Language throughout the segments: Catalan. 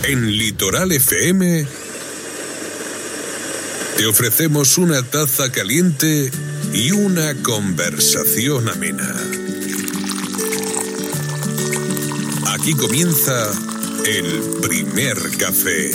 En Litoral FM te ofrecemos una taza caliente y una conversación amena. Aquí comienza el primer café.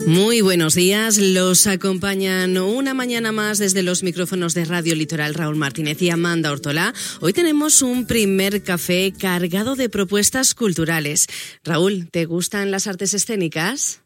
Muy buenos días, los acompañan una mañana más desde los micrófonos de Radio Litoral Raúl Martínez y Amanda Ortolá. Hoy tenemos un primer café cargado de propuestas culturales. Raúl, ¿te gustan las artes escénicas?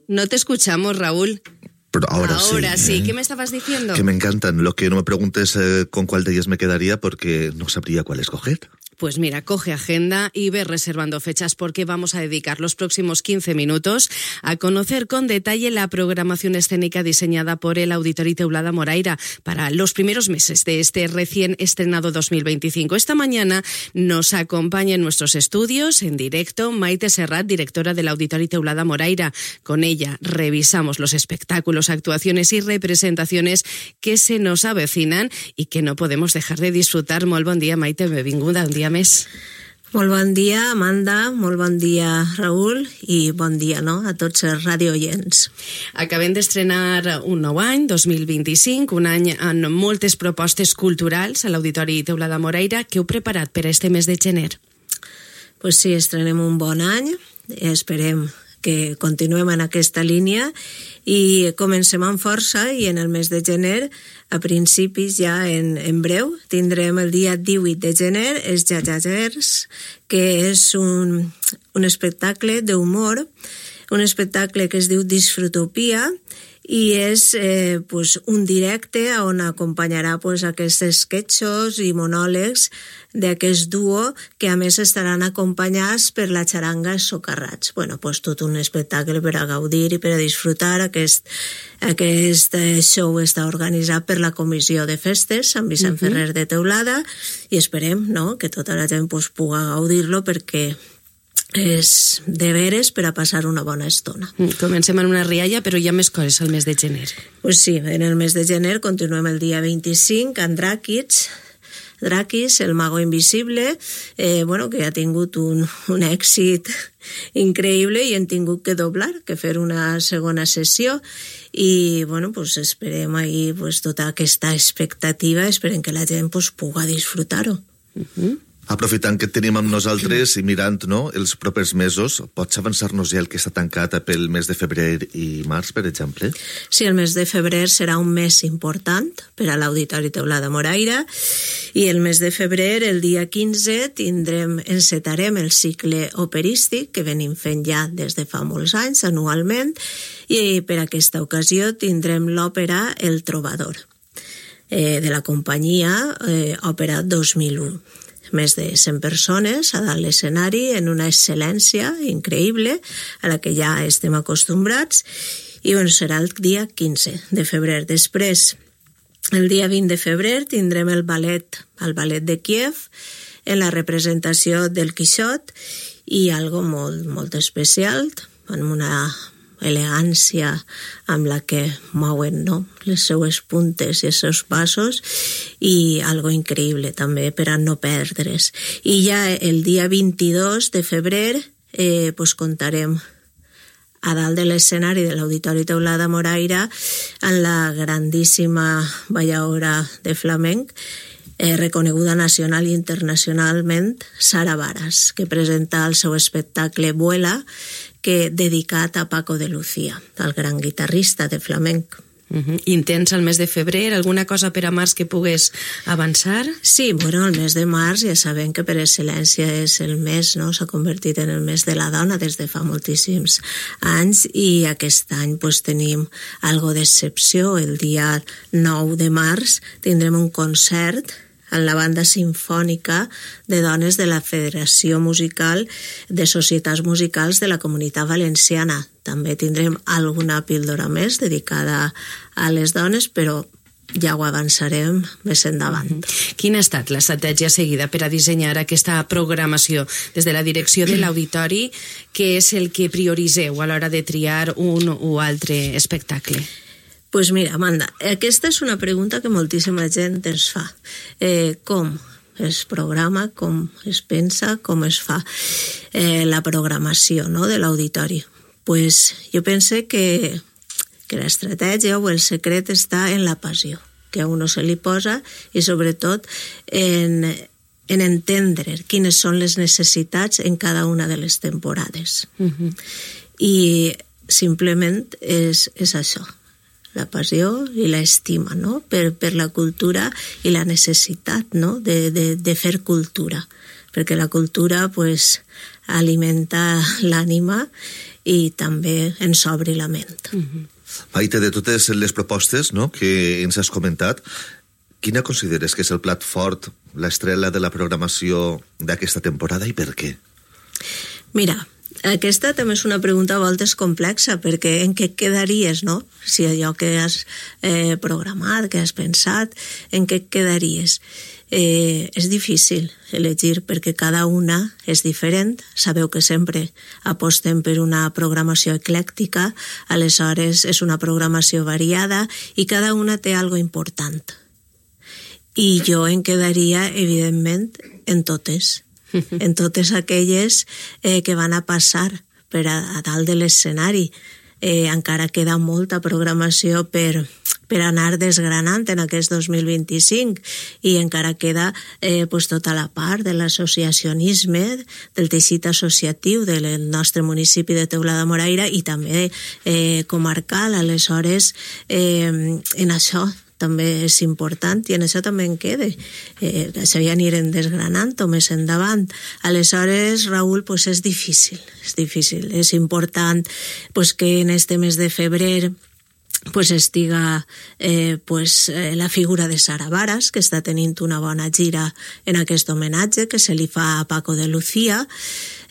No te escuchamos, Raúl. Pero ahora sí. ¿Qué me estabas diciendo? Que me encantan. Lo que no me preguntes con cuál de ellas me quedaría porque no sabría cuál escoger. Pues mira, coge agenda y ve reservando fechas porque vamos a dedicar los próximos 15 minutos a conocer con detalle la programación escénica diseñada por el Auditori Teulada Moraira para los primeros meses de este recién estrenado 2025. Esta mañana nos acompaña en nuestros estudios en directo Maite Serrat, directora del Auditori Teulada Moraira. Con ella revisamos los espectáculos, actuaciones y representaciones que se nos avecinan y que no podemos dejar de disfrutar. Molt bon dia, Maite, benvinguda un dia més. Molt bon dia, Amanda, molt bon dia, Raül, i bon dia a tots els radiooients. Acabem d'estrenar un nou any, 2025, un any amb moltes propostes culturals a l'Auditori Teulada Moraira. Què heu preparat per a este mes de gener? Pues sí, estrenem un bon any, esperem que continuem en aquesta línia i comencem amb força i en el mes de gener, a principis ja en breu, tindrem el dia 18 de gener els Jajajers, que és un espectacle d'humor, un espectacle que es diu Disfrutopia i és un directe on acompanyarà aquests esquetxos i monòlegs d'aquest duo que a més estaran acompanyats per la xaranga Socarrats. Tot un espectacle per a gaudir i per a disfrutar. Aquest show està organitzat per la Comissió de Festes Sant Vicent Ferrer de Teulada i esperem que tota la gent pugui gaudir-lo perquè és de veres per a passar una bona estona. Comencem en una rialla, però hi ha més coses al mes de gener. Pues sí, en el mes de gener continuem el dia 25 amb Drakis, el mago invisible, que ha tingut un èxit increïble i hem tingut que doblar, que fer una segona sessió i esperem ahir tota aquesta expectativa, esperem que la gent pugui disfrutar-ho. Aprofitant que tenim amb nosaltres i mirant els propers mesos, pots avançar-nos ja el que està tancat pel mes de febrer i març, per exemple? Sí, el mes de febrer serà un mes important per a l'Auditori Teulada Moraira i el mes de febrer, el dia 15, encetarem el cicle operístic que venim fent ja des de fa molts anys, anualment, i per aquesta ocasió tindrem l'òpera El Trovador, de la companyia Òpera 2001. Més de 100 persones a dalt l'escenari en una excel·lència increïble a la que ja estem acostumbrats i serà el dia 15 de febrer. Després, el dia 20 de febrer tindrem el ballet de Kíev en la representació del Quixot i algo molt, molt especial, amb una elegància amb la que mouen les seues puntes i els seus passos i algo increïble també per a no perdre's. I ja el dia 22 de febrer contarem a dalt de l'escenari de l'Auditori Teulada Moraira amb la grandíssima balladora de flamenc reconeguda nacional i internacionalment, Sara Varas, que presenta el seu espectacle Vuela, que dedicat a Paco de Lucía, el gran guitarrista de flamenc. Intens al mes de febrer, alguna cosa per a març que pugues avançar? Sí, el mes de març ja sabem que per excel·lència és el mes, s'ha convertit en el mes de la dona des de fa moltíssims anys i aquest any tenim algo d'excepció. El dia 9 de març tindrem un concert en la banda sinfònica de dones de la Federació Musical de Societats Musicals de la Comunitat Valenciana. També tindrem alguna píldora més dedicada a les dones, però ja ho avançarem més endavant. Quina ha estat l'estratègia seguida per a dissenyar aquesta programació des de la direcció de l'Auditori? Què és el que prioriseu a l'hora de triar un o altre espectacle? Pues mira, Amanda, aquesta és una pregunta que moltíssima gent ens fa. Com es programa, com es pensa, com es fa la programació, no?, de l'auditori. Pues jo pense que l'estratègia o el secret està en la passió que a uno se li posa i sobretot en entendre quines són les necessitats en cada una de les temporades. I simplement és això, la passió i l'estima, no?, per la cultura i la necessitat, no?, de fer cultura, perquè la cultura pues, alimenta l'ànima i també ens obri la ment. Maite, de totes les propostes, no?, que ens has comentat, quina consideres que és el plat fort, l'estrella de la programació d'aquesta temporada i per què? Mira, aquesta també és una pregunta a voltes complexa, perquè en què quedaries, no? Si allò que has programat, que has pensat, en què quedaries? És difícil elegir perquè cada una és diferent. Sabeu que sempre apostem per una programació eclèctica, aleshores és una programació variada i cada una té algo important. I jo em quedaria, evidentment, en totes aquelles que van a passar per a dalt de l'escenari. Encara queda molta programació per anar desgranant en aquest 2025 i encara queda pues, tota la part de l'associacionisme, del teixit associatiu del nostre municipi de Teulada-Moraira i també comarcal. Aleshores, en això també és important i en això també en quede. Això ja anirem desgranant-ho més endavant. Aleshores, Raül, pues és difícil. És important pues, que en este mes de febrer pues estiga la figura de Sara Varas, que està tenint una bona gira en aquest homenatge que se li fa a Paco de Lucía.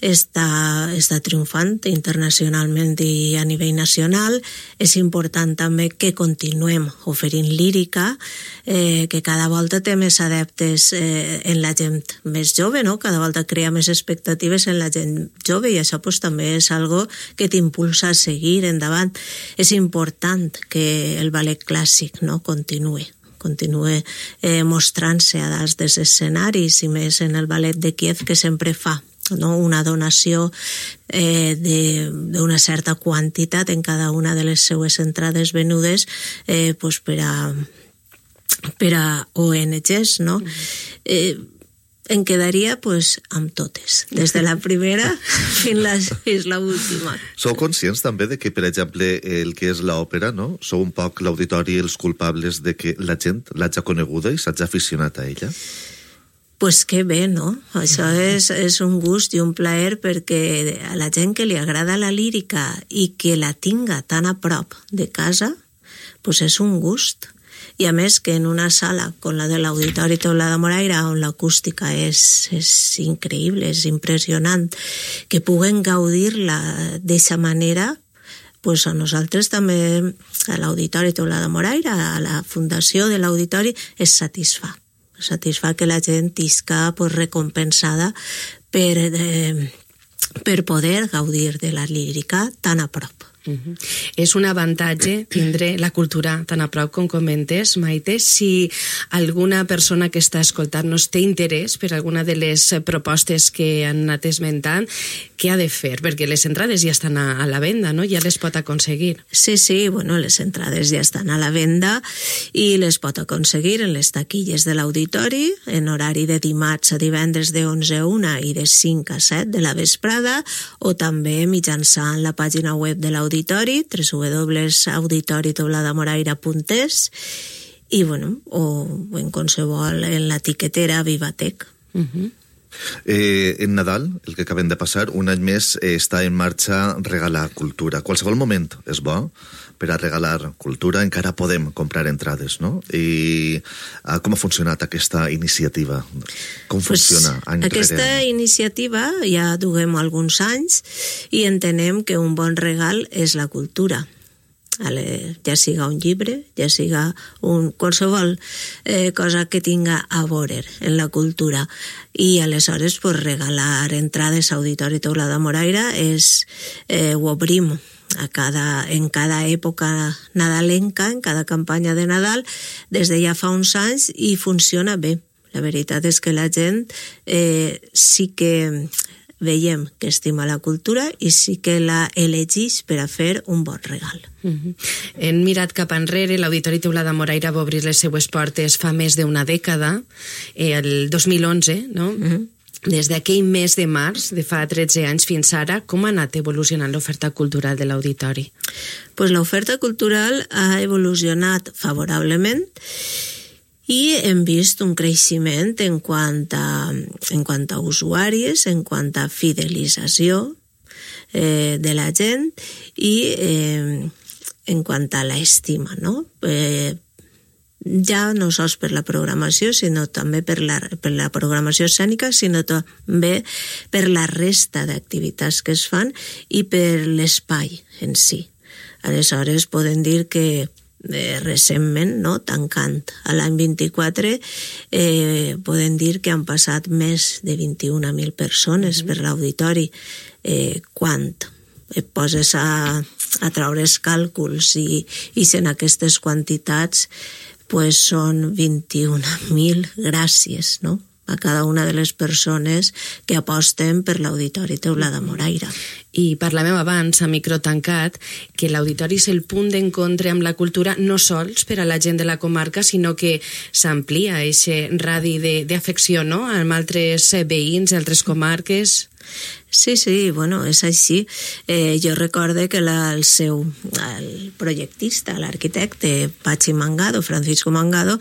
Està triomfant internacionalment i a nivell nacional. És important també que continuem oferint lírica, que cada volta té més adeptes en la gent més jove, no? Cada volta crea més expectatives en la gent jove i això pues, també és algo que t'impulsa a seguir endavant. És important que el ballet clàssic, no?, continue mostrant-se a dalt dels escenaris i més en el ballet de Kíev, que sempre fa, no?, una donació d'una certa quantitat en cada una de les seues entrades venudes pues per a ONGs, no? Em quedaria pues, amb totes, des de la primera fins la última. Sou conscients també de que, per exemple, el que és l'òpera, no? Sou un poc l'auditori els culpables de que la gent l'hagi coneguda i s'hagi aficionat a ella? Pues que bé, no? Això és un gust i un plaer perquè a la gent que li agrada la lírica i que la tinga tan a prop de casa, pues és un gust. I a més que en una sala com la de l'Auditori Teulada-Moraira, on l'acústica és increïble, és impressionant, que puguen gaudir-la d'aquesta manera, pues a nosaltres també, a l'Auditori Teulada-Moraira, a la fundació de l'Auditori, es satisfà que la gent isca pues, recompensada per poder gaudir de la lírica tan a prop. És un avantatge tindre la cultura tan a prop com comentes, Maite. Si alguna persona que està escoltant-nos té interès per alguna de les propostes que han anat esmentant, què ha de fer? Perquè les entrades ja estan a la venda, no? Ja les pot aconseguir. Sí, bueno, les entrades ja estan a la venda i les pot aconseguir en les taquilles de l'auditori, en horari de dimarts a divendres de 11 a 1 i de 5 a 7 de la vesprada, o també mitjançant la pàgina web de l'auditori, www.auditoriteuladamoraira.es i, bueno, o en qualsevol, en l'etiquetera Vivatec. En Nadal, el que acabem de passar, un any més està en marxa Regalar Cultura. Qualsevol moment és bo per a regalar cultura, encara podem comprar entrades, no? I com ha funcionat aquesta iniciativa? Com funciona any rere any? Aquesta iniciativa ja duguem alguns anys i entenem que un bon regal és la cultura. Ja siga un llibre, ja siga qualsevol cosa que tinga a veure en la cultura. I aleshores pues, regalar entrades a Auditori Teulada-Moraira ho obrim en cada època nadalenca, en cada campanya de Nadal, des de ja fa uns anys i funciona bé. La veritat és que la gent sí que veiem que estima la cultura i sí que la elegeix per a fer un bon regal. Hem mirat cap enrere, l'Auditori Teulada Moraira va obrir les seues portes fa més d'una dècada, el 2011, no? Des d'aquell mes de març, de fa 13 anys fins ara, com ha anat evolucionant l'oferta cultural de l'Auditori? Pues l'oferta cultural ha evolucionat favorablement i hem vist un creixement en quant a usuaris, en quant a fidelització de la gent i en quant a l'estima, no? Ja no sols per la programació, sinó també per la programació escènica, sinó també per la resta d'activitats que es fan i per l'espai en si. Aleshores, podem dir que recentment, no, tancant a l'any 24, podem dir que han passat més de 21.000 persones per l'auditori. Quan et poses a traure els càlculs i en aquestes quantitats, pues són 21.000 gràcies, no?, a cada una de les persones que aposten per l'Auditori Teulada Moraira. I parlàvem abans, a micro tancat, que l'auditori és el punt d'encontre amb la cultura no sols per a la gent de la comarca, sinó que s'amplia aquest radi d'afecció, no?, amb altres veïns, altres comarques. Sí, bueno, és així. Jo recorde que el projectista, l'arquitecte Pachi Mangado, Francisco Mangado,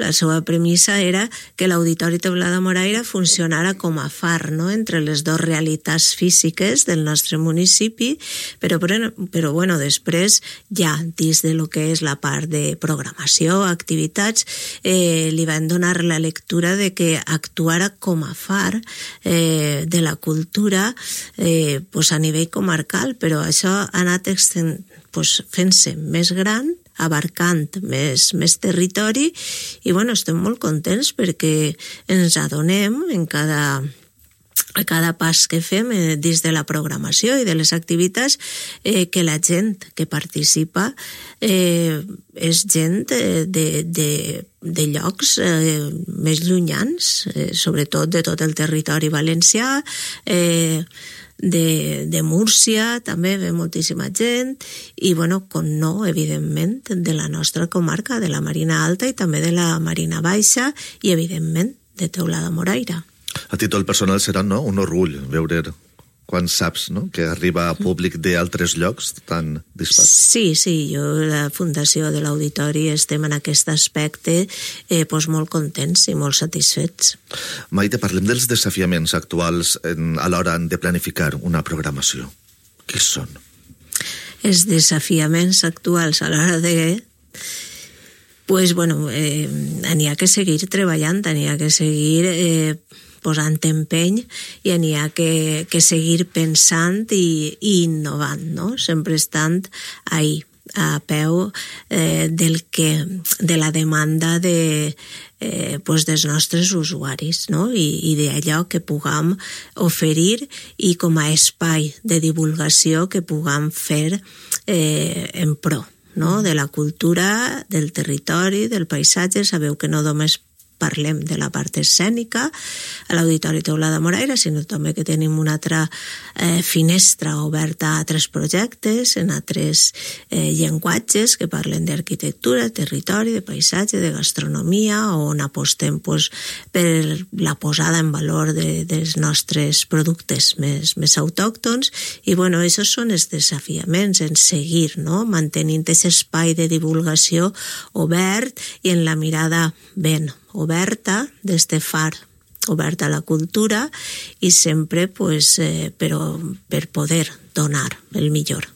la seva premissa era que l'Auditori Teulada Moraira funcionara com a far, no?, entre les dues realitats físiques del nostre municipi, però bueno, després ja dins de lo que és la part de programació, activitats, li van donar la lectura de que actuara com a far de la cultura a nivell comarcal, però això ha anat fent-se més gran, abarcant més territori i bueno, estem molt contents perquè ens adonem a cada pas que fem dins de la programació i de les activitats que la gent que participa és gent de llocs més llunyans, sobretot de tot el territori valencià, de Múrcia també ve moltíssima gent i bueno, com no, evidentment de la nostra comarca, de la Marina Alta i també de la Marina Baixa i evidentment de Teulada Moraira. A títol personal serà, no?, un orgull veure quan saps, no?, que arriba a públic d'altres llocs tan dispars. Sí, jo, la Fundació de l'Auditori, estem en aquest aspecte molt contents i molt satisfets. Maite, parlem dels desafiaments actuals a l'hora de planificar una programació. Quins són? Els desafiaments actuals a l'hora de... Pues bueno, n'hi ha que seguir treballant, n'hi ha que seguir posant empeny i n'hi ha que seguir pensant i innovant, no? Sempre estant ahí, a peu de la demanda dels nostres usuaris, no? I d'allò que puguem oferir i com a espai de divulgació que puguem fer en pro, no?, de la cultura, del territori, del paisatge. Sabeu que no només parlem de la part escènica a l'Auditori Teulada Moraira, sinó també que tenim una altra finestra oberta a altres projectes, en altres llenguatges que parlen d'arquitectura, territori, de paisatge, de gastronomia, on apostem per la posada en valor dels nostres productes més autòctons. I bueno, aquests són els desafiaments en seguir, no?, mantenint aquest espai de divulgació obert i en la mirada ben oberta d'este far, oberta a la cultura i sempre per poder donar el millor.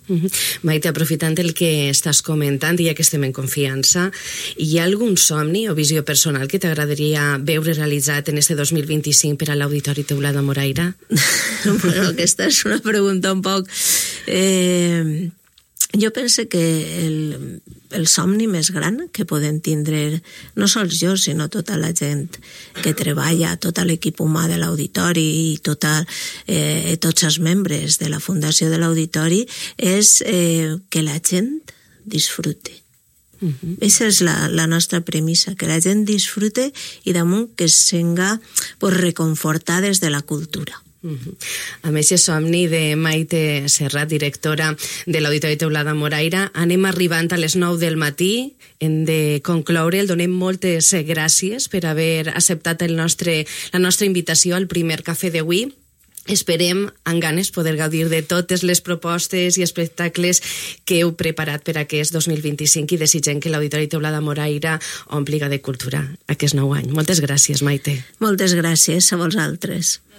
Maite, aprofitant el que estàs comentant, ja que estem en confiança, hi ha algun somni o visió personal que t'agradaria veure realitzat en este 2025 per a l'Auditori Teulada Moraira? Bueno, aquesta és una pregunta un poc... Jo penso que el somni més gran que podem tindre, no sols jo, sinó tota la gent que treballa, tot l'equip humà de l'Auditori i tots els membres de la Fundació de l'Auditori, és que la gent disfrute, Aquesta és la nostra premissa, que la gent disfrute i damunt que es senga reconfortades de la cultura. Amb aquest somni de Maite Serrat, directora de l'Auditori Teulada Moraira, anem arribant a les 9 del matí, hem de concloure, el donem moltes gràcies per haver acceptat la nostra invitació al primer cafè d'avui. Esperem amb ganes poder gaudir de totes les propostes i espectacles que heu preparat per aquest 2025 i desitgem que l'Auditori Teulada Moraira ompliga de cultura aquest nou any. Moltes gràcies, Maite. Moltes gràcies a vosaltres.